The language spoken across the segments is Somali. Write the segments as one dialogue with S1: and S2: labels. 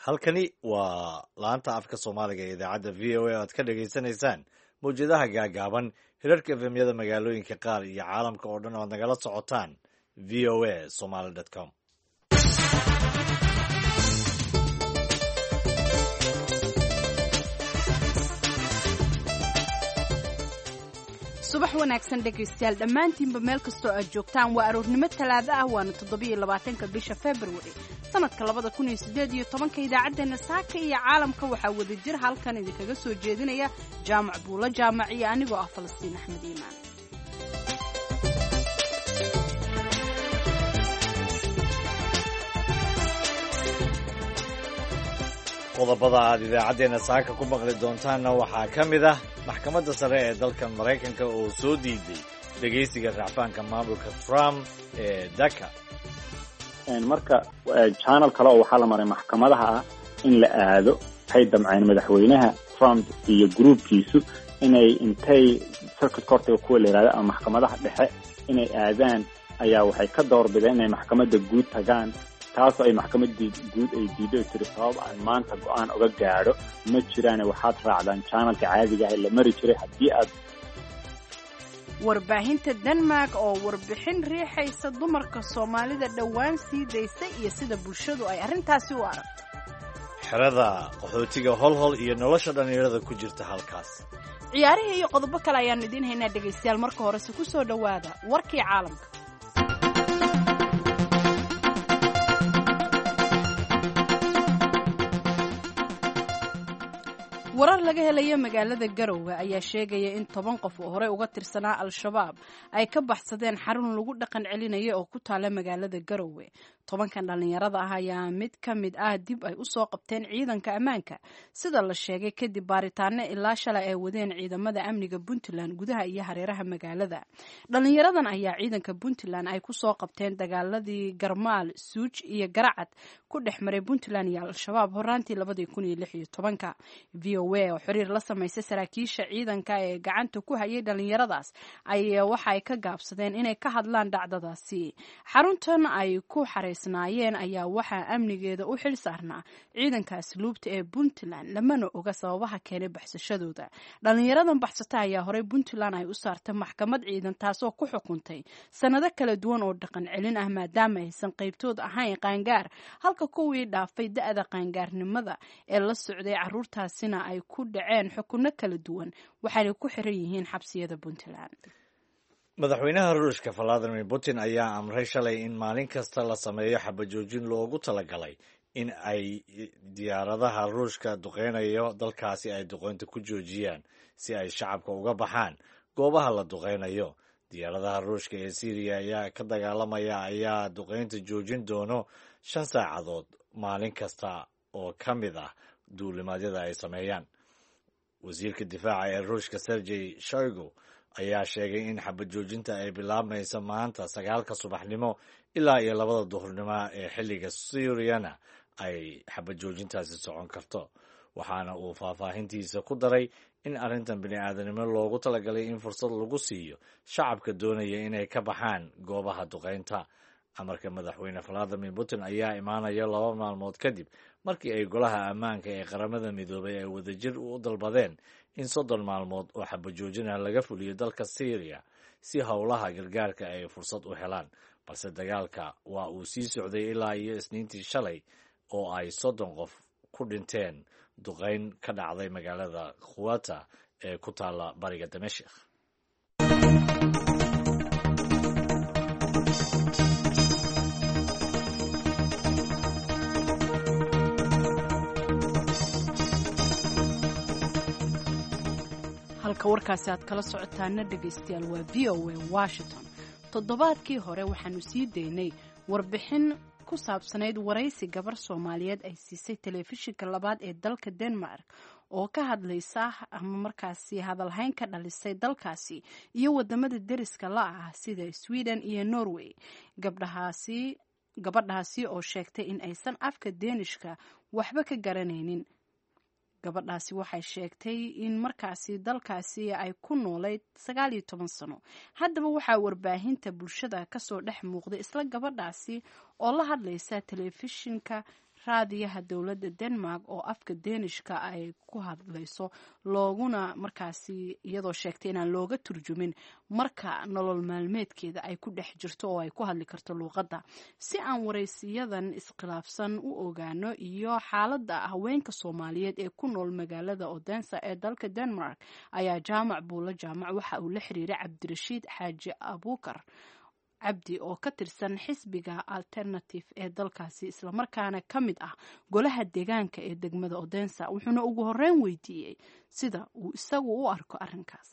S1: Halkani waa laanta afka Soomaaliga ee idaacadda VOA aad ka dhagaysanaysaan mawjadaha gaagaaban, hirarka FM-yada magaalooyinka qaar iyo caalamka oo dhan oo aad nagala socotaan voasomaly.com.
S2: Subax wanaagsan dhegaystayaal dhammaantiinba, meel kastoo aad joogtaan. Waa aroornimo Talaado ah, waana 27-ka bisha Februari sanadka 2018-ka. Idaacaddeenna saaka iyo caalamka waxaa wada jir halkan idinkaga soo jeedinaya Jaamac Buulo Jaamac iyo anigoo ah Falastiin Axmed Iimaan.
S1: Qodobada aad idaacaddeenna saaka ku maqli doontaanna waxaa ka mid ah maxkamadda sare ee dalkan Maraykanka oo soo diiday dhegaysiga racfaanka maamulka Trump ee DACA.
S3: Marka channel kale oo waxaa la maray maxkamadaha ah in la aado. Waxay damceen madaxweynaha Trump iyo gruubkiisu inay intay circuit courtiga kuwa la yihahdo ama maxkamadaha dhexe inay aadaan, ayaa waxay ka doorbideen inay maxkamadda guud tagaan, taasoo ay maxkamaddii guud ay diido ay tiri sabab aan maanta go-aan uga gaadho ma jiraane, waxaad raacdaan channelka caadiga ah ee la mari jiray haddii aad
S2: Warbaahinta Denmark oo warbixin riixaysa dumarka Soomaalida dhowaan sii daysay iyo sida bulshadu ay arrintaasi u aragto.
S1: Xerada qaxootiga Holhol iyo nolosha dhallinyarada ku jirta halkaas.
S2: Ciyaarihii iyo qodobo kale ayaannu idiin haynaa dhegaystayaal. Marka horese ku soo dhowaada warkii caalamka. Warar laga helaya magaalada Garowe ayaa sheegaya in 10 qof oo horey uga tirsanaa Al-Shabaab ay ka baxsadeen xarun lagu dhaqan celinaya oo ku taala magaalada Garowe. 10-kan dhallinyarada ah ayaa mid ka mid ah dib ay usoo qabteen ciidanka ammaanka, sida la sheegay, kadib baaritaano ilaa shalay ay wadeen ciidamada amniga Puntland gudaha iyo hareeraha magaalada. Dhallinyaradan ayaa ciidanka Puntland ay kusoo qabteen dagaaladii Garmaal, Suuj iyo Garacad ku dhex maray Puntland iyo Al-Shabaab horaantii 2016-ka. VOA oo xiriir la samaysay saraakiisha ciidanka ee gacanta ku hayay dhallinyaradaas ayaa waxa ay ka gaabsadeen inay ka hadlaan dhacdadaasi. Xaruntan ay ku xaraysnaayeen ayaa waxaa amnigeeda u xil saarnaa ciidanka asluubta ee Puntland, lamana oga sababaha keenay baxsashadooda. Dhallinyaradan baxsata ayaa horey Puntland ay u saartay maxkamad ciidan, taasoo ku xukuntay sannado kala duwan oo dhaqan celin ah, maadaama aysan qaybtood ahayn qaangaar, halka kuwii dhaafay da-da qaangaarnimada ee la socday caruurtaasina ay ku dhaceen xukunno kala duwan, waxaanay ku xiran yihiin xabsiyada Puntland.
S1: Madaxweynaha Ruushka Valadimir Putin ayaa amray shalay in maalin kasta la sameeyo xabajoojin loogu talagalay in ay diyaaradaha Ruushka duqeynayo dalkaasi ay duqeynta ku joojiyaan si ay shacabka uga baxaan goobaha la duqeynayo. Diyaaradaha Ruushka ee Syriya ayaa ka dagaalamaya ayaa duqeynta joojin doono 5 saacadood maalin kasta oo ka mid ah duulimaadyada ay sameeyaan. Wasiirka difaaca ee Ruushka Sergey Shoigu ayaa sheegay in xabad joojinta ay bilaabmayso maanta 9-ka subaxnimo ilaa iyo 2-da duhurnimo ee xilliga Suuriyana ay xabad joojintaasi socon karto. Waxaana uu faahfaahintiisa ku daray in arrintan bini-aadanimo loogu talagalay in fursad lagu siiyo shacabka doonaya inay ka baxaan goobaha duqeynta. Amarka madaxweyne Valadimir Putin ayaa imaanaya 2 maalmood kadib markii ay golaha ammaanka ee Qaramada Midoobay ay wadajir u dalbadeen in 30 maalmood oo xabajoojina laga fuliyo dalka Syriya si howlaha gargaarka ay fursad u helaan. Balse dagaalka waa uu sii socday ilaa iyo Isniintii shalay oo ay 30 qof ku dhinteen duqeyn ka dhacday magaalada Khuwata ee ku taala bariga Damashik.
S2: Halka warkaasi aad kala socotaana dhegaystayaal waa VOA Washington. Toddobaadkii hore waxaanu sii daynay warbixin ku saabsanayd waraysi gabar Soomaaliyeed ay siisay telefishinka labaad ee dalka Denmark oo ka hadlaysa ama markaasi hadalhayn ka dhalisay dalkaasi iyo wadamada deriska la ah sida Sweden iyo Norway. Gabdhahaasi gabadhaasi oo sheegtay in aysan afka Deenishka waxba ka garanaynin. Gabadhaasi waxay sheegtay in markaasi dalkaasi ay ku noolayd 19 sano. Haddaba waxaa warbaahinta bulshada kasoo dhex muuqday isla gabadhaasi oo la hadlaysa telefishinka Raadiyaha dowladda Denmark oo afka Deenishka ay ku hadlayso, looguna markaasi iyadoo sheegtay inaan looga turjumin marka nolol maalmeedkeeda ay ku dhex jirto oo ay ku hadli karto luuqadda. Si aan waraysiyadan iskhilaafsan u ogaano iyo xaaladda haweenka Soomaaliyeed ee ku nool magaalada Odensa ee dalka Denmark, ayaa Jaamac Buulo Jaamac waxa uu la xiriiray Cabdirashiid Xaaji Abuukar Cabdi oo ka tirsan xisbiga Alternative ee dalkaasi, islamarkaana ka mid ah golaha deegaanka ee degmada Odensa. Wuxuuna ugu horeyn weydiiyey sida uu isagu u arko arrinkaas.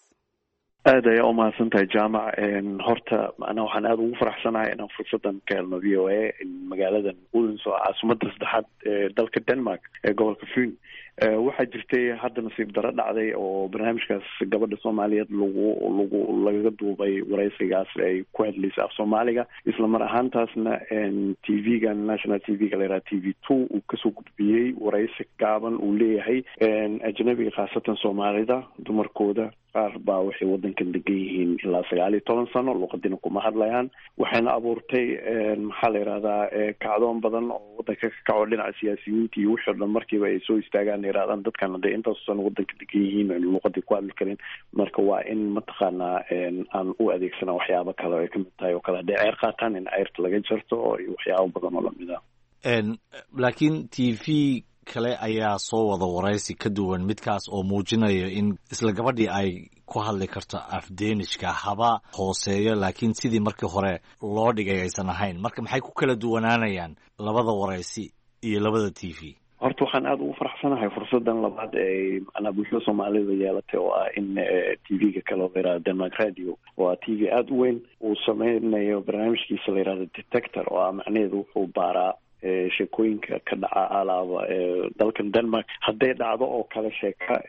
S4: Aad ayaa umahadsan tahay, Jaamac. Horta macnaha waxaan aada ugu faraxsanahay inaan fursadan ka helno VOA magaaladan Odense oo caasimadda saddexaad ee dalka Denmark ee gobolka Fyn. Waxaa jirtay hadda nasiib daro dhacday oo barnaamijkaas gabadha Soomaaliyeed lagu lagaga duubay wareysigaas ay ku hadlaysay af Soomaaliga, isla mar ahaantaasna TV-ga national TV-ga la yidhaha TV 2 uu kasoo gudbiyey wareysi gaaban uu leeyahay ajnabiga, khaasatan Soomaalida dumarkooda qaar baa waxay wadankan degan yihiin ilaa 19 sano, luqadina kuma hadlayaan. Waxayna abuurtay, maxaa la yidhahdaa, kacdoon badan oo wadanka ka kaco dhinaca siyaasiyiinta iyo wixii o dhan markiiba ay soo istaagaan, yirahdaan dadkan hadday intaas sano wadanka degan yihiin aynu luqadii ku hadli karin, marka waa in mataqaanaa aan u adeegsana waxyaabo kale oo ay kamid tahay oo kale hadday ceyr qaataan in ceyrta laga jarto iyo waxyaabo badan oo lamid ah.
S1: Laakiin TV kale ayaa soo wada waraysi ka duwan midkaas oo muujinayo in isla gabadhii ay ku hadli karto af Deenishka, haba hooseeyo, laakiin sidii markii hore loo dhigay aysan ahayn. Marka maxay ku kala duwanaanayaan labada waraysi iyo labada TV?
S4: Horta waxaan aada ugu faraxsanahay fursadan labaad ee macnaha bulshada Soomaalida yeelatay, oo ah in TV-ga kale oo la yihahdo Denmark Radio, oo ah TV aada u weyn, uu sameynayo barnaamijkiisa la yihahdo Detector, oo ah macnaheedu wuxuu baaraa sheekooyinka ka dhaca alaaba dalkan Denmark. Hadday dhacdo oo kale sheeka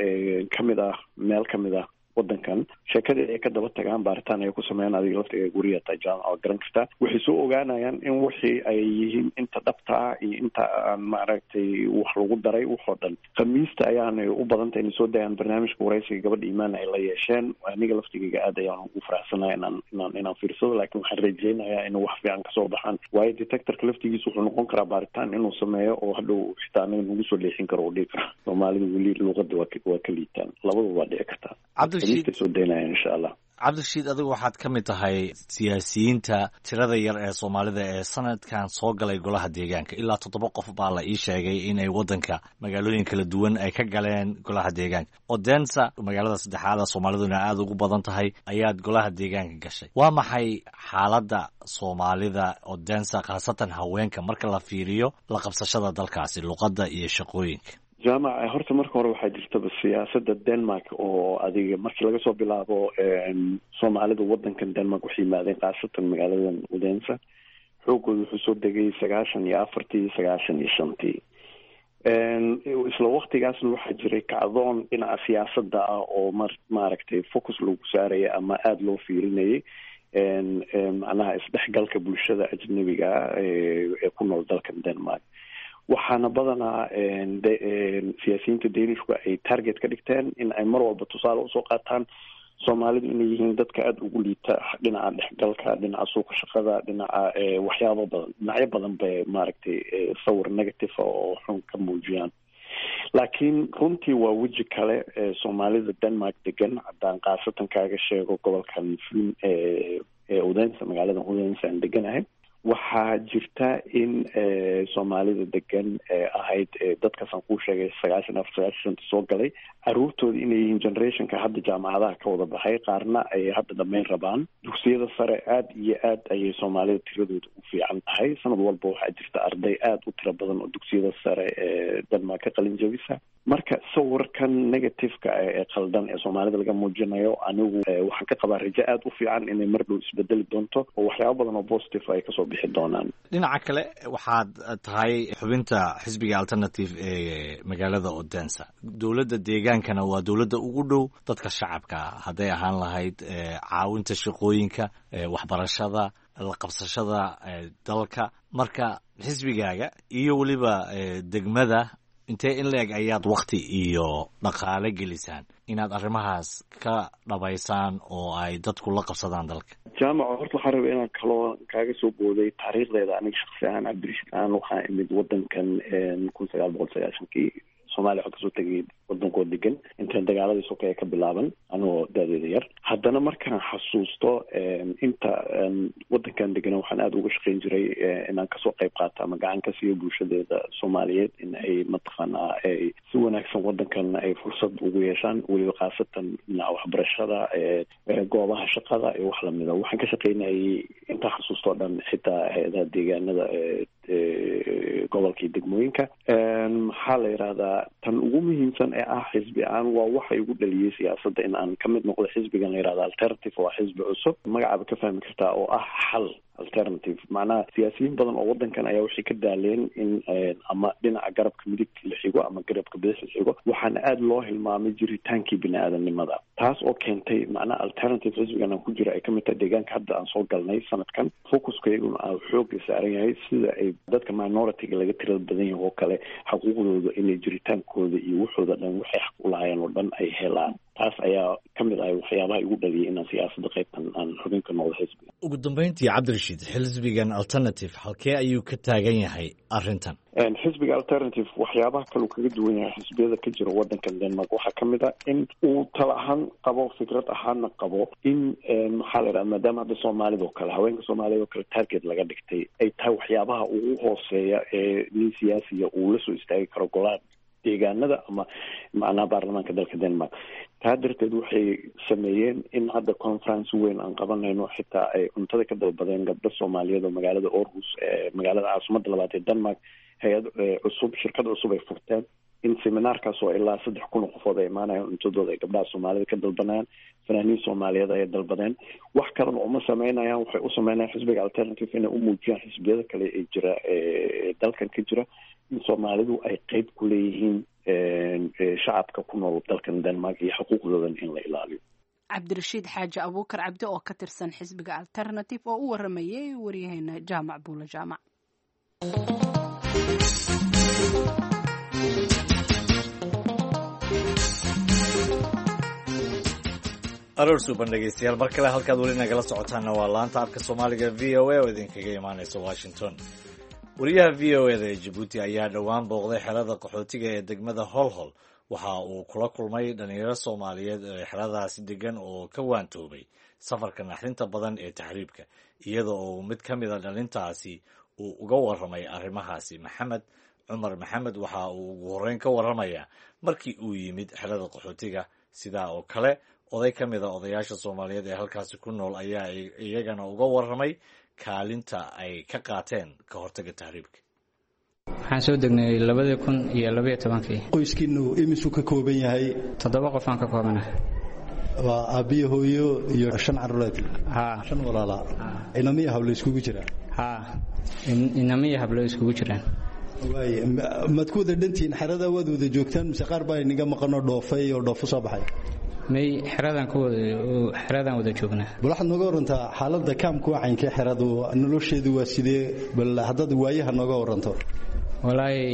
S4: kamid ah meel kamid ah wadankan, sheekadii ay ka daba tagaan, baaritaan ay ku sameeyaan. Adiga laftiga guriga taa, Jaamac, waa garan kartaa. Waxay soo ogaanayaan in wixii ay yihiin inta dhabta ah iyo inta aan maaragtay wax lagu daray waxoo dhan. Khamiista ayaanay u badantay inay soo dayaan barnaamijka waraysiga gabadha Imaan ay la yeesheen. Aniga laftigayga aad ayaan ugu faraxsanahay inaan fiirsado, laakiin waxaan rajeynayaa inuu wax fiican kasoo baxaan, waayo detectorka laftigiisa wuxuu noqon karaa baaritaan inuu sameeyo oo hadhow xitaa anaga nagu soo leexin karo oo dhihi karo Soomaalida weli luuqada waa ka liitaan. Labadaba waa dhici kartaa. Soo daynaya insha Allah.
S1: Cabdirashiid, adigu waxaad ka mid tahay siyaasiyiinta tirada yar ee Soomaalida ee sanadkan soo galay golaha deegaanka. Ilaa toddoba qof baa la ii sheegay inay waddanka magaalooyin kala duwan ay ka galeen golaha deegaanka. Odensa, magaalada saddexaada Soomaaliduna aada ugu badan tahay, ayaad golaha deegaanka gashay. Waa maxay xaaladda Soomaalida Odensa, khaasatan haweenka, marka la fiiriyo la qabsashada dalkaasi, luqadda iyo shaqooyinka?
S4: Jaamac, horta marka hore waxaa jirtaba siyaasada Denmark oo adiga markii laga soo bilaabo Soomaalida wadankan Denmark waxay yimaadeen, khaasatan magaaladan Odensa, xoogooda wuxuu soo degay 94-tii, 95-tii. Isla waktigaasna waxaa jiray kacdoon dhinaca siyaasadda ah oo maaragtay focus lagu saaraya ama aada loo fiirinayay macnaha isdhexgalka bulshada ajnabiga ee ku nool dalkan Denmark. Waxaana badanaa siyaasiyiinta Danishku ay target ka dhigteen in ay mar walba tusaale usoo qaataan Soomaalidu inay yihiin dadka aada ugu liita dhinaca dhexgalka, dhinaca suuqa shaqada, dhinaca waxyaabo badan, dhinacyo badan bay maaragtay sawir negative oo xun ka muujiyaan. Laakiin runtii waa weji kale Soomaalida Denmark degan. Haddaan khaasatan kaaga sheego gobolkan Fyn ee Odense, magaalada Odense aan deganahay, waxaa jirta in Soomaalida degan ahayd dadkaasaan kuu sheegay 94, 95-ta soo galay, caruurtooda inay yihiin generationka hadda jaamacadaha ka wada baxay, qaarna ay hadda dhammayn rabaan dugsiyada sare. Aada iyo aad ayay Soomaalida tiradooda u fiican tahay. Sanad walba waxaa jirta arday aada u tiro badan oo dugsiyada sare ee Denmark ka qalin jabisa. Marka sawirkan negativeka ee qaldan ee Soomaalida laga muujinayo, anigu waxaan ka qabaa rajo aada u fiican inay mar dhow isbedeli doonto oo waxyaabo badan oo positive ay kasoo bixi doonaan.
S1: Dhinaca kale, waxaad tahay xubinta xisbiga Alternative ee magaalada Odensa. Dowladda deegaankana waa dowladda ugu dhow dadka shacabka, hadday ahaan lahayd caawinta shaqooyinka, waxbarashada, la qabsashada dalka. Marka xisbigaaga iyo weliba degmada Intee in la-eg ayaad wakti iyo dhaqaale gelisaan inaad arrimahaas ka dhabaysaan oo ay dadku la qabsadaan dalka?
S4: Jaamaco, horta waxaan rabay inaan kaloo kaaga soo booday taariikhdeeda. Aniga shaksi ahaan, Cabdirashiid ahaan, waxaa imid wadankan 1990-kii. Soomaaliya waxaa kasoo tegay wadankoo degan intaan dagaaladii sokeeye ka bilaaban, anigoo daadeeda yar. Haddana markaan xasuusto inta wadankan degana, waxaan aada uga shaqeyn jiray inaan kasoo qayb qaato ama gacan ka siiyo bulshadeeda Soomaaliyeed in ay mataqaanaa ay si wanaagsan wadankan ay fursad ugu yeeshaan, weliba khaasatan dhinaca waxbarashada, goobaha shaqada iyo wax lamida. Waxaan ka shaqeynayay intaan xasuusto o dhan xitaa hay-adaha deegaanada, gobolka iyo degmooyinka. Maxaa la yidhahdaa, tan ugu muhiimsan ee ah xisbi ahaan waa waxa igu dhaliyey siyaasadda in aan kamid noqdo xisbigan la yihahda Alternative. Waa xisbi cusub, magacaaba ka fahmi kartaa, oo ah xal, alternative. Macnaha siyaasiyiin badan oo wadankan ayaa waxay ka daaleen in ama dhinaca garabka midig la xigo ama garabka bidix la xigo. Waxaana aada loo hilmaamay jiritaankii bini aadamnimada, taas oo keentay macnaha Alternative xisbigan aan ku jira ay kamid tahay deegaanka hadda aan soo galnay sanadkan. Focuskayguna aa xooga saaran yahay sida ay dadka minority-ga laga tirada badan yahay oo kale xaquuqdooda inay jiritaankooda iyo waxooda dhan, waxay xaq u lahaayeen oo dhan ay helaan. Taas ayaa ka mid ahay waxyaabaha igu dhaliyay inaan siyaasadda qaybtan aan xubin ka noqdo xisbiga.
S1: Ugu dambeyntii, Cabdirashiid, xisbigan Alternative halkee ayuu ka taagan yahay arrintan?
S4: Xisbiga Alternative waxyaabaha kale uu kaga duwan yahay xisbiyada ka jira wadankan Denmark waxaa kamid ah in uu tala ahaan qabo, fikrad ahaanna qabo in, maxaa la yidhaha, maadaama hadda soomaalida oo kale, haweenka soomaalida oo kale target laga dhigtay, ay tahay waxyaabaha ugu hooseeya ee nin siyaasiya uu la soo istaagi karo golaha deegaanada ama macnaha baarlamaanka dalka Denmark. Taa darteed waxay sameeyeen in hadda conference weyn aan qabanayno, xitaa ay cuntada ka dalbadeen gabdho Soomaaliyeed oo magaalada Aarhus, magaalada caasimadda labaad ee Denmark, hay-ad cusub, shirkad cusub ay furteen, in seminaarkaas oo ilaa 3000 oo qofood ay imaanayaan, cuntadooda ay gabdhaha Soomaalida ka dalbanayaan. Fanaaniin Soomaaliyeed ayay dalbadeen. Wax kalena uma sameynayaan, waxay u sameynayaan xisbiga Alternative inay u muujiyaan xisbiyada kale ee jira ee dalkan ka jira in Soomaalidu ay qeyb ku leeyihiin shacabka ku nool dalkan Denmark iyo xuquuqdoodan in la ilaaliyo.
S2: Cabdirashiid Xaaji Abuukar Cabdi oo ka tirsan xisbiga Alternative oo u waramayay waryaheena Jaamac Buulo Jaamac.
S1: Aroor suuban dhegeystayaal, mar kale halkaad weli nagala socotaanna waa laanta afka Soomaaliga VOA oo idinkaga imaaneysa Washington. Wariyaha VOA da ee Jabuuti ayaa dhowaan booqday xerada qaxootiga ee degmada Holhol. Waxa uu kula kulmay dhalinyaro Soomaaliyeed ee xeradaasi degan oo ka waantoobay safarka naxdinta badan ee taxriibka, iyada oo mid ka mida dhalintaasi uu uga warramay arrimahaasi. Maxamed Cumar Maxamed waxa uu ugu horreyn ka warramayaa markii uu yimid xerada qaxootiga. Sidaa oo kale oday ka mid a odayaasha Soomaaliyeed ee halkaasi ku nool ayaa iyagana uga warramay kaalinta ay ka qaateen ka hortagga tahriibka.
S5: Waxaan soo degnay 2012-kii.
S6: Qoyskiinu imisuu ka kooban yahay?
S5: 7 qof aan ka koobanahay.
S6: Waa aabbiyo, hooyo iyo shan caruureed?
S5: Haa.
S6: Shan walaalaa, inamiya hablo iskugu jira?
S5: Haa, inamiya hablo iskugu jiraan.
S6: Waay, maad ku wada dhantihiin xerada, waad wada joogtaan, mise qaar baa inaga maqanoo dhoofay oo dhoofo soo baxay?
S5: May, xeradan ku wada, xeradan wada joognaa.
S6: Bal waxaad nooga warantaa xaaladda kaamku, waa caynkee xeradu, nolosheedu waa sidee? Bal haddaad waayaha nooga waranto.
S5: Walaahi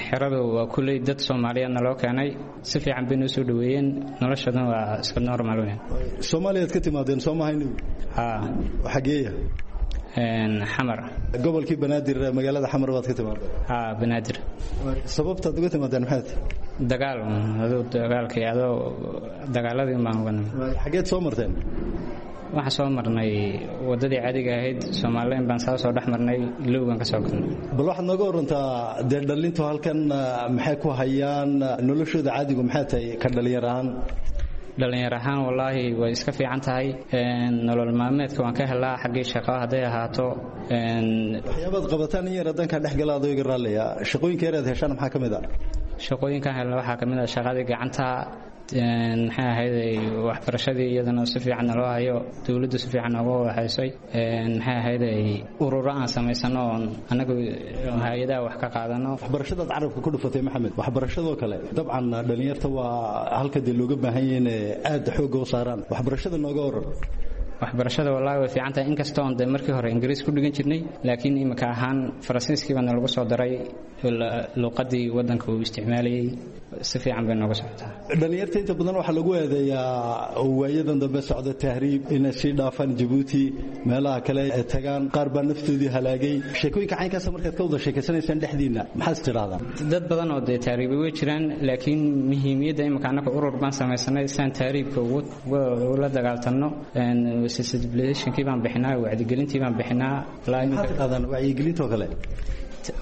S5: xeradu waa kulley dad Soomaaliyeedna loo keenay, si fiican bay noo soo dhaweeyeen, noloshadana waa iska normal weyn.
S6: Soomaaliyaad ka timaadeen, soo mahayni?
S5: Haa.
S6: Xageeya?
S5: Xamar.
S6: Gobolkii Banaadir, magaalada Xamar baad ka timaadeen?
S5: Haa, Banaadir.
S6: Sababtaad uga timaadeen maxay tahay?
S5: Dagaal, aduu dagaalkii, adoo dagaaladii baan uga nimid.
S6: Xageed soo marteen?
S5: Waxaan soo marnay waddadii caadiga ahayd, Soomaalileen baan saa soo dhex marnay, Ilowgan ka soo galnay.
S6: Bal waxaad nooga warantaa dee dhalintu halkan maxay ku hayaan, noloshooda caadigu maxay tahay ka dhalinyar ahaan?
S5: Dhalinyar ahaan wallaahi way iska fiican tahay, nolol maalmeedka waan ka helaa, xaggii shaqo hadday ahaato.
S6: Waxyaabaad qabataan in yar haddaan kaa dhex gala adoo iga raallaya, shaqooyinka yar aad heshaan maxaa ka mid ah?
S5: Shaqooyinkaan helna waxaa ka mid ah shaqadii gacanta, maxay ahayd, waxbarashadii iyadana si fiican naloo hayo, dowladdu si fiican nooga wadahaysay, maxay ahayd, ururo aan samaysano oon annagu hay-adaha wax ka qaadano.
S6: Waxbarashadaad carabka ku dhufatay Maxamed, waxbarashadoo kale dabcan dhalinyarta waa halka dee looga baahan yahay inay aada xoogga u saaraan. Waxbarashada nooga waran.
S5: Waxbarashada wallaahi way fiican tahay, inkastoo on dee markii hore Ingiriis ku dhigan jirnay, laakiin imika ahaan Faransiiskii baana lagu soo daray, luuqadii waddanka uu isticmaalayay. Si fiican bay nooga socotaa.
S6: Dhallinyarta inta badan waxaa lagu eedeeyaa waayadan dambe socda tahriib inay sii dhaafaan Jabuuti, meelaha kale ay tagaan, qaar baa naftoodii halaagay. Sheekooyinka caynkaasa markaad ka wada sheekaysanaysaan dhexdiinna, maxaad is tidhahdaan?
S5: Dad badan oo dee tahriibay way jiraan, laakiin muhiimiyadda imika annaga urur baan samaysanay saan tahriibka ula dagaaltanno. Sensibilizationkii baan bixinaa, wacyigelintii baan bixinaa.
S6: Maxaad tidhahdaan wacyigelintoo kale?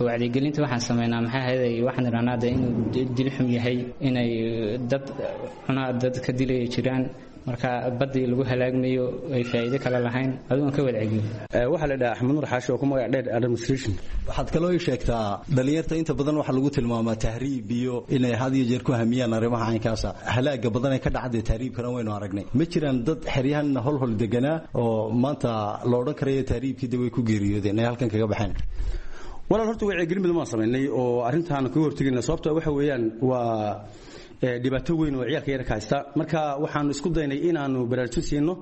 S5: Wacyigelinta waxaan sameynaa, maxaa ahayd, waxaan idhahnaa dee inuu dil xun yahay, inay dad cunaa dad ka dilaya jiraan, marka baddii lagu halaagmayo ay faa'iido kale lahayn, aduun ka wadcegin.
S7: Waxaa la dhahaa Axmed Nuur Xaashi oo ku magac dheer administration.
S6: Waxaad kaloo ii sheegtaa, dhallinyarta inta badan waxaa lagu tilmaamaa tahriib iyo inay had iyo jeer ku hamiyaan arrimaha caynkaasa. Halaaga badan ee ka dhacday tahriibkana waynu aragnay. Ma jiraan dad xeryahan holhol deganaa oo maanta la odhan karayo tahriibkii de way ku geeriyoodeen ay halkan kaga baxeen?
S7: Walaal, horta wacyigelin badan baan samaynay oo arrintaan kaga hortegayna, sababta waxa weeyaan waa dhibaato weyn oo ciyaalka yarka haysta. Marka waxaanu isku daynay inaanu baraarujin siino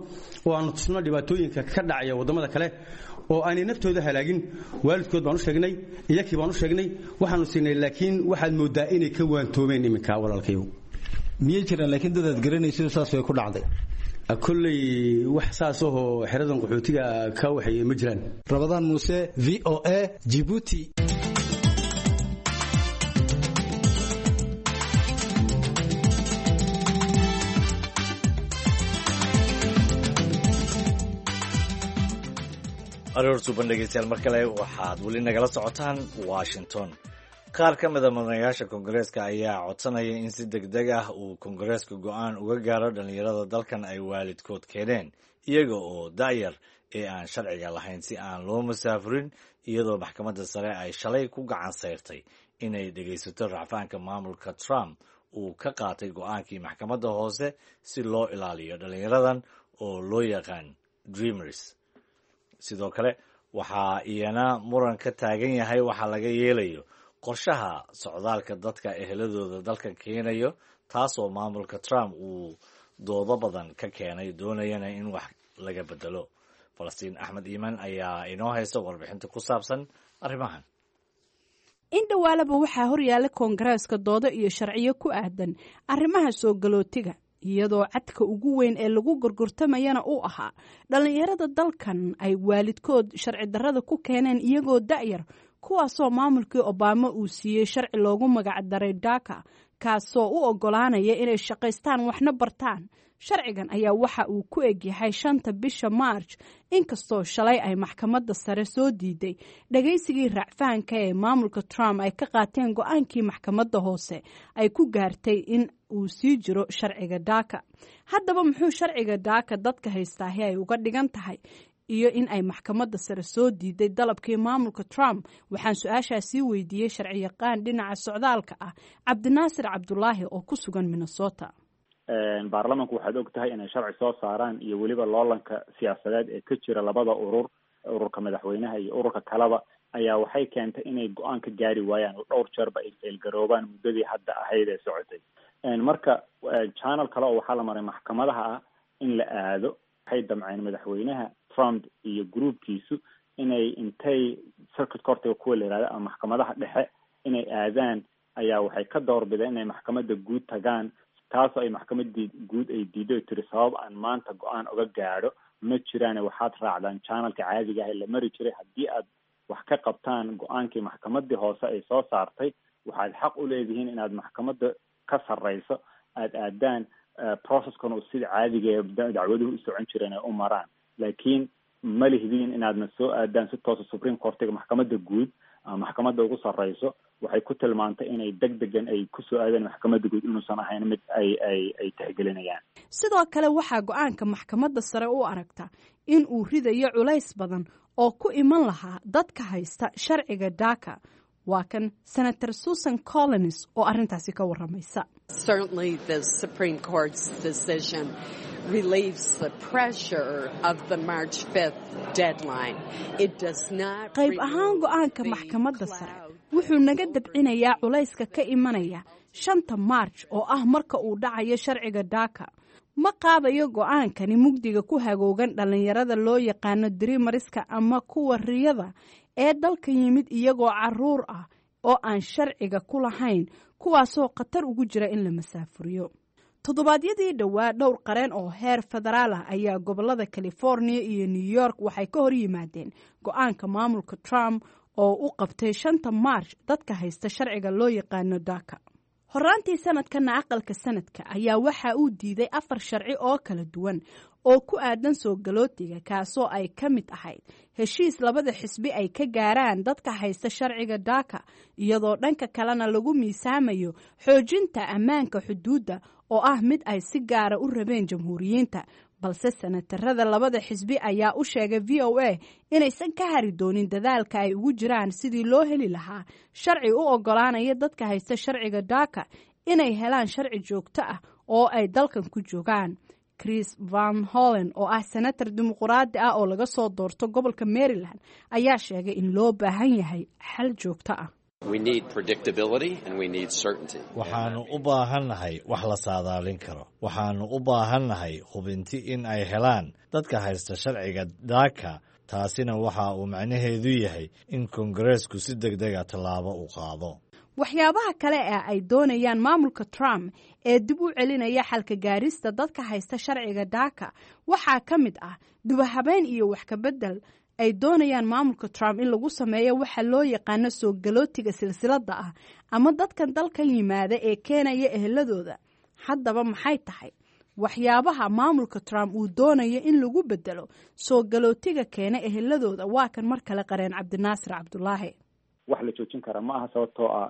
S7: oo aanu tusno dhibaatooyinka ka dhacaya waddamada kale oo aanay naftooda halaagin. Waalidkood baan u sheegnay, iyakii baan u sheegnay, waxaanu siinay, laakiin waxaad mooddaa inay ka waantoomeen iminka, walaalkayow.
S6: Miyay jiraan laakiin dad aad garanayso saas way ku dhacday?
S7: Kolley wax saas ahoo xeradan qaxootiga ka waxeeye ma jiraan.
S6: Rabadaan Muuse, VOA, Jibuuti.
S1: Aroor suuban dhegeystayaal, mar kale waxaad weli nagala socotaan Washington. Qaar ka mida mudanayaasha koongareeska ayaa codsanaya in si deg deg ah uu koongareeska go'aan uga gaaro dhallinyarada dalkan ay waalidkood keeneen iyaga oo da'yar ee aan sharciga lahayn si aan loo masaafurin, iyadoo maxkamadda sare ay shalay ku gacan sayrtay inay dhegaysato racfaanka maamulka Trump uu ka qaatay go'aankii maxkamadda hoose si loo ilaaliyo dhallinyaradan oo loo yaqaan Dreamers. Sidoo kale waxaa iyana muran ka taagan yahay waxa laga yeelayo qorshaha socdaalka dadka eheladooda dalka keenayo, taasoo maamulka Trump uu doodo badan ka keenay, doonayana in wax laga bedelo. Falastiin Axmed Iimaan ayaa inoo haysta warbixinta ku saabsan arrimahan.
S2: In dhowaalaba waxaa horyaala koongareeska doodo iyo sharciyo ku aadan arrimaha soo galootiga, iyadoo cadka ugu weyn ee lagu gorgortamayana uu ahaa dhallinyarada dalkan ay waalidkood sharci darrada ku keeneen iyagoo da'yar, kuwaasoo maamulkii Obama uu siiyey sharci loogu magac daray DACA, kaasoo u oggolaanaya inay shaqaystaan waxna bartaan. Sharcigan ayaa waxa uu ku egyahay 5ta bisha Maarj, inkastoo shalay ay maxkamadda sare soo diiday dhagaysigii racfaanka ee maamulka Trump ay ka qaateen go-aankii maxkamadda hoose ay ku gaartay in uu sii jiro sharciga DACA. Haddaba muxuu sharciga DACA dadka haystaahi ay uga dhigan tahay iyo in ay maxkamadda sare soo diiday dalabkii maamulka Trump? Waxaan su-aashaasii weydiiyey sharciyaqaan dhinaca socdaalka ah, Cabdinaasir Cabdulaahi oo ku sugan Minnesota.
S3: Baarlamanku waxaad og tahay inay sharci soo saaraan iyo weliba loolanka siyaasadeed ee ka jira labada urur, ururka madaxweynaha iyo ururka kaleba, ayaa waxay keentay inay go-aan ka gaari waayaan oo dhowr jeerba ay failgaroobaan muddadii hadda ahayd ee socotay. Marka channel kale oo waxaa la maray maxkamadaha ah in la aado. Waxay damceen madaxweynaha Trump iyo groupkiisu inay intay circuit courtiga kuwa la yihahdo ama maxkamadaha dhexe inay aadaan, ayaa waxay ka doorbideen inay maxkamadda guud tagaan, taasoo ay maxkamadii guud ay diido, tiri sabab aan maanta go-aan uga gaadho ma jiraane, waxaad raacdaan channelka caadiga ah ee la mari jiray. Haddii aad wax ka qabtaan go-aankii maxkamadii hoose ay soo saartay, waxaad xaq u leedihiin inaad maxkamadda ka sarreyso aada aadaan, processkana uu sida caadiga ee dacwaduhu u socon jireen ay u maraan, laakiin ma lihdiin inaadna soo aadaan si toosa Supreme Courtiga, maxkamadda guud ama maxkamadda ugu sarreyso. Waxay ku tilmaantay inay deg degan ay kusoo aadeen maxkamadda guud inuusan ahayn mid ay tixgelinayaan.
S2: Sidoo kale waxaa go-aanka maxkamadda sare u aragta in uu ridayo culays badan oo ku iman lahaa dadka haysta sharciga DACA. Waa kan Senator Susan Collins oo arrintaasi ka warramaysa.
S8: Certainly the Supreme Court's decision relieves the pressure of the March 5th deadline. It does not.
S2: Qayb ahaan go-aanka maxkamadda sare wuxuu naga dabcinayaa culayska ka imanaya 5ta Maarj oo ah marka uu dhacayo sharciga DACA. Ma qaadayo go-aankani mugdiga ku hagoogan dhallinyarada loo yaqaano dreamerska ama kuwa riyada ee dalka yimid iyagoo caruur ah oo aan sharciga ku lahayn, kuwaasoo khatar ugu jira in la masaafuriyo. Toddobaadyadii dhowaa, dhowr qareen oo heer federaal ah ayaa gobolada California iyo New York waxay ka hor yimaadeen go-aanka maamulka Trump oo u qabtay 5ta Maarch dadka haysta sharciga loo yaqaano DACA. Horaantii sanadkana, aqalka Senate-ka ayaa waxa uu diiday afar sharci oo kala duwan oo ku aadan soo galootiga, kaasoo ay ka mid ahayd heshiis labada xisbi ay ka gaaraan dadka haysta sharciga DACA, iyadoo dhanka kalena lagu miisaamayo xoojinta ammaanka xuduudda oo ah mid ay si gaara u rabeen Jamhuuriyiinta. Balse senatarada labada xisbi ayaa u sheegay VOA inaysan ka hari doonin dadaalka ay ugu jiraan sidii loo heli lahaa sharci u ogolaanaya dadka haysta sharciga DACA inay helaan sharci joogto ah oo ay dalkan ku joogaan. Chris Van Hollen oo ah senatar Dimuquraadi ah oo laga soo doorto gobolka Maryland ayaa sheegay in loo baahan yahay xal joogto ah.
S1: Waxaannu u baahannahay wax la saadaalin karo. Waxaannu u baahannahay hubinti in ay helaan dadka haysta sharciga DACA. Taasina waxa uu macnaheedu yahay in Koongareesku si deg dega tallaabo u qaado.
S2: Waxyaabaha kale ee ay doonayaan maamulka Trump ee dib u celinaya xalka gaarista dadka haysta sharciga DACA waxaa ka mid ah dubahabeyn iyo wax ka bedel ay doonayaan maamulka Trump in lagu sameeyo waxa loo yaqaano soo galootiga silsiladda ah ama dadkan dalkan yimaada ee keenaya eheladooda. Haddaba, maxay tahay waxyaabaha maamulka Trump uu doonayo in lagu bedelo soo galootiga keena eheladooda? Waa kan mar kale qareen Cabdinaasir Cabdulaahi.
S3: Wax la joojin kara ma aha, sababtoo ah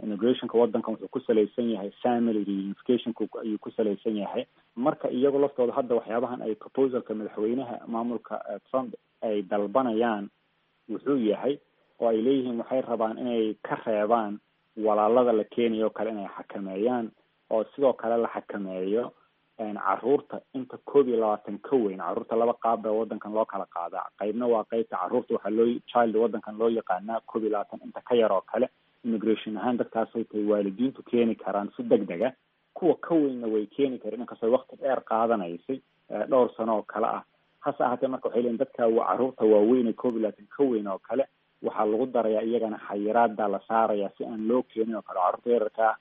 S3: immigrationka waddankan wuxuu ku salaysan yahay family reunificationka ayuu ku salaysan yahay. Marka iyagu laftooda hadda waxyaabahan ay proposalka madaxweynaha maamulka Trump ay dalbanayaan wuxuu yahay oo ay leeyihiin waxay rabaan inay ka reebaan walaalada la keenayo kale inay xakameeyaan, oo sidoo kale la xakameeyo caruurta inta 21 ka weyn. Caruurta laba qaab baa waddankan loo kala qaadaa. Qaybna waa qaybta caruurta waxaa loo child waddankan loo yaqaanaa 21 inta ka yar oo kale. Immigration ahaan dadkaasay tahay waalidiintu keeni karaan si deg dega. Kuwa ka weynna way keeni kareen, inkastoo waqti dheer qaadanaysay, dhowr sano oo kale ah. Hase ahaatee, marka waxay leeyihin dadka caruurta waaweyn ee 21 ka weyn oo kale waxaa lagu darayaa iyagana xayiraada la saaraya si aan loo keenin oo kale. Carruurta yararkaa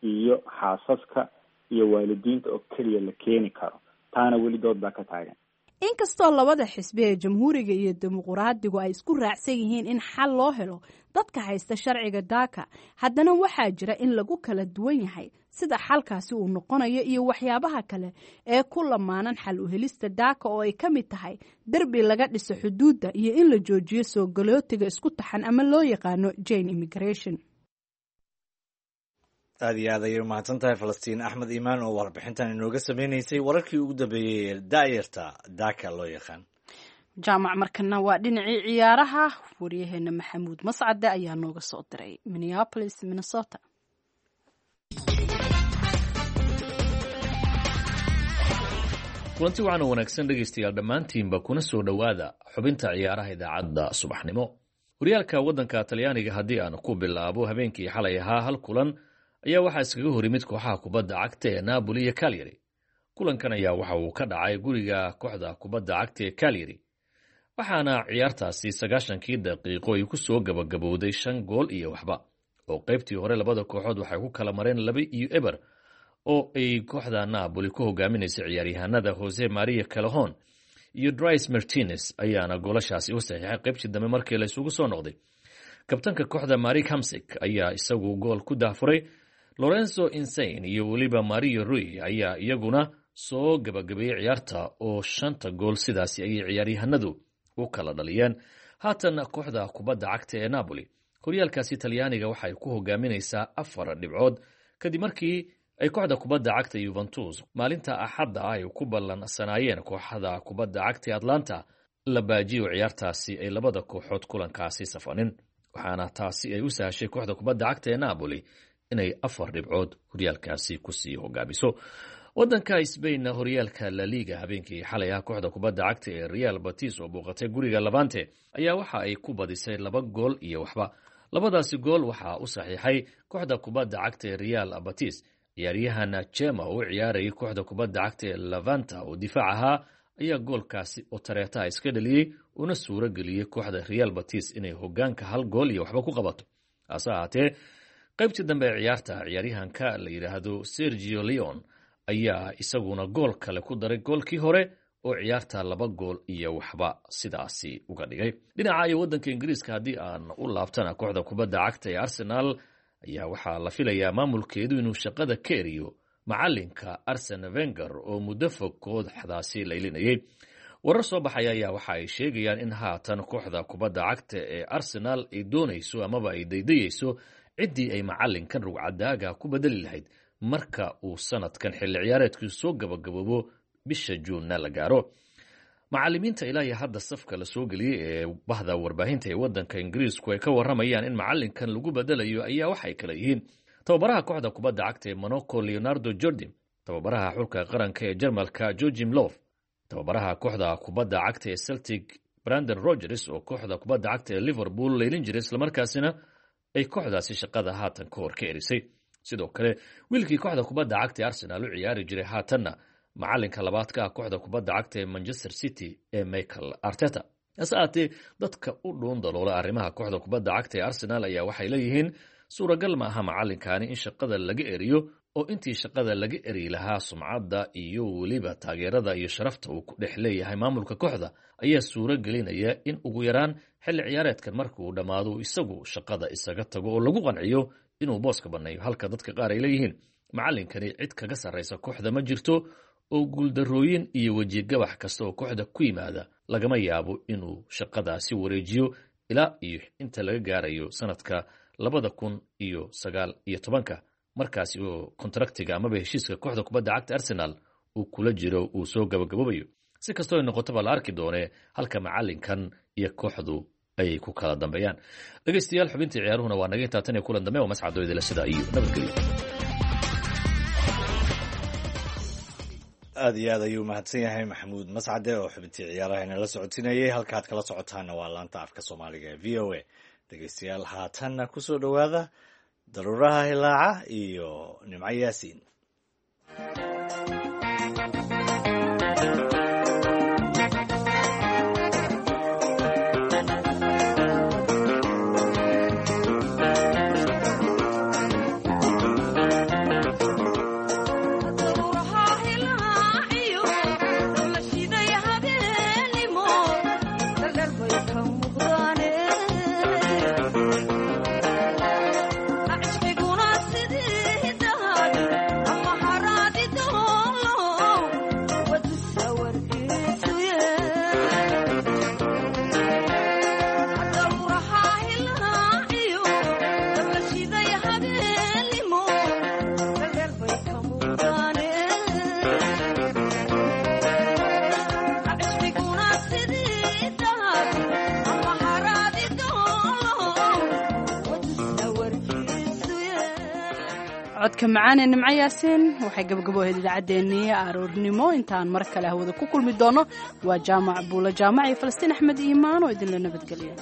S3: iyo xaasaska iyo waalidiinta oo keliya la keeni karo. Taana weli dood baa ka taagan.
S2: Inkastoo labada xisbi ee Jamhuuriga iyo Dimuquraadigu ay isku raacsan yihiin in xal loo helo dadka haysta sharciga DACA, haddana waxaa jira in lagu kala duwan yahay sida xalkaasi uu noqonayo iyo waxyaabaha kale ee ku lamaanan xal u helista DACA, oo ay ka mid tahay derbi laga dhiso xuduudda iyo in la joojiyo soo galootiga isku taxan ama loo yaqaano chain immigration.
S1: Aad iyo aad ayay umahadsan tahay Falastiin Axmed Iimaan oo warbixintan inooga sameynaysay wararkii ugu dambeeyey ee daayarta DACA loo yaqaan.
S2: Jaamac, markana waa dhinacii ciyaaraha. Waryaheena Maxamuud Mascade ayaa nooga soo diray Minneapolis, Minnesota.
S9: Kulanti wacan oo wanaagsan, dhegaystayaal dhammaantiinba, kuna soo dhowaada xubinta ciyaaraha idaacadda subaxnimo. Horyaalka waddanka Talyaaniga haddii aan ku bilaabo, habeenkii xalay ahaa hal kulan ayaa waxaa iskaga hor yimid kooxaha kubadda cagta ee Napoli iyo Cagliari. Kulankan ayaa waxa uu ka dhacay guriga kooxda kubadda cagta ee Cagliari, waxaana ciyaartaasi 90-kii daqiiqo ay ku soo gabagabowday 5 gool iyo waxba, oo qaybtii hore labada kooxood waxay ku kala mareen 2-0, oo ay kooxda Napoli ku hogaaminaysa ciyaaryahanada Jose Maria Callejon iyo Dries Mertens ayaana goolashaasi u saxiixay. Qaybtii dambe markii la isugu soo noqday, kabtanka kooxda Marek Hamsik ayaa isagu gool ku daahfuray. Lorenzo Insigne iyo weliba Mario Rui ayaa iyaguna soo gabagabeeyey ciyaarta, oo shanta gool sidaasi ayay ciyaaryahanadu u kala dhaliyeen. Haatan kooxda kubadda cagta ee Napoli horyaalkaasi Talyaaniga waxay ku hogaaminaysaa 4 dhibcood, kadib markii ay kooxda kubadda cagta Juventus maalinta Axadda ah ay ku ballansanaayeen kooxda kubadda cagta ee Atlanta la baajiyo ciyaartaasi, ay labada kooxood kulankaasi safanin, waxaana taasi ay u sahashay kooxda kubadda cagta ee Napoli inay 4 dhibcood horyaalkaasi kusii hogaamiso. Wadanka Sbainna, horyaalka La Liga, habeenkii xalay ah kooxda kubadda cagta ee Real Betis oo booqatay guriga Levante ayaa waxa ay ku badisay 2 gool iyo waxba. Labadaasi gool waxaa u saxiixay kooxda kubadda cagta ee Real Betis Ciyaaryahan Jema oo u ciyaarayay kooxda kubadda cagta ee Levante oo difaac ahaa ayaa goolkaasi oo tareetaha iska dhaliyey una suuro geliyey kooxda Real Betis inay hogaanka 1 gool iyo waxba ku qabato. Hase ahaatee qaybtii dambe ee ciyaarta ciyaaryahanka la yidhaahdo Sergio Leon ayaa isaguna gool kale ku daray goolkii hore oo ciyaarta 2 gool iyo waxba sidaasi uga dhigay. Dhinaca iyo waddanka Ingiriiska haddii aan u laabtana, kooxda kubadda cagta ee Arsenal ayaa waxaa la filayaa maamulkeedu inuu shaqada ka eriyo macalinka Arsene Wenger oo muddo fog kooxdaasi laylinayay. Warar soo baxaya ayaa waxa ay sheegayaan in haatan kooxda kubadda cagta ee Arsenal ay doonayso amaba ay daydayeyso ciddii ay macalinkan rugcadaaga ku bedeli lahayd marka uu sanadkan xilli ciyaareedku soo gabagaboobo bisha Juunna la gaaro. Macalimiinta ilaa iyo hadda safka la soo geliyey ee bahda warbaahinta ee waddanka Ingiriisku ay ka warramayaan in macalinkan lagu bedelayo ayaa waxay kala yihiin tababaraha kooxda kubadda cagta ee Monaco Leonardo Jordi, tababaraha xulka qaranka ee Jarmalka Joachim Löw, tababaraha kooxda kubadda cagta ee Celtic Brandon Rodgers oo kooxda kubadda cagta ee Liverpool leylin jiray islamarkaasina ay kooxdaasi shaqada haatan ka hor ka erisay. Sidoo kale wiilkii kooxda kubadda cagta ee Arsenal u ciyaari jiray haatanna macalinka labaad ka ah kooxda kubadda cagta ee Manchester City ee Michael Arteta. Hase ahaatee dadka u dhuun daloola arrimaha kooxda kubadda cagta ee Arsenal ayaa waxay leeyihiin suuragal ma aha macalinkaani in shaqada laga eriyo, oo intii shaqada laga eri lahaa sumcadda iyo weliba taageerada iyo sharafta uu ku dhex leeyahay maamulka kooxda ayaa suuro gelinaya in ugu yaraan xilli ciyaareedkan marka uu dhammaado isagu shaqada isaga tago oo lagu qanciyo inuu booska banneeyo, halka dadka qaar ay leeyihiin macalinkani cid kaga sarraysa kooxda ma jirto oo guuldarrooyin iyo wejigabax kasta oo kooxda ku yimaada lagama yaabo inuu shaqadaasi wareejiyo ilaa iyo inta laga gaarayo sanadka 2019, markaasi oo kontraktiga amaba heshiiska kooxda kubadda cagta Arsenal uu kula jiro uu soo gabagaboobayo. Si kastoo ay noqotaba la arki doonee halka macalinkan iyo kooxdu ay ku kala dambeeyaan. Dhegeystayaal, xubintii ciyaaruhuna waa naga intaa tan iyo kulan dambe oo mascadooydila sida iyo nabadgelyo.
S1: Aad iyo aad ayuu mahadsan yahay Maxamuud Mascade oo xubintii ciyaaraha inala socotinayay. Halkaad kala socotaana waa laanta afka Soomaaliga ee VOA. Dhegeystayaal, haatanna kusoo dhowaada Daruuraha Hilaaca iyo Nimco Yaasiin.
S2: Codka macaan ee Nimco Yaasiin waxay gabagabo ahayd idaacaddeenii aroornimo. Intaan mar kale hawada ku kulmi doono, waa Jaamac Buulo Jaamac iyo Falastiin Axmed Iimaan oo idinla nabadgeliya.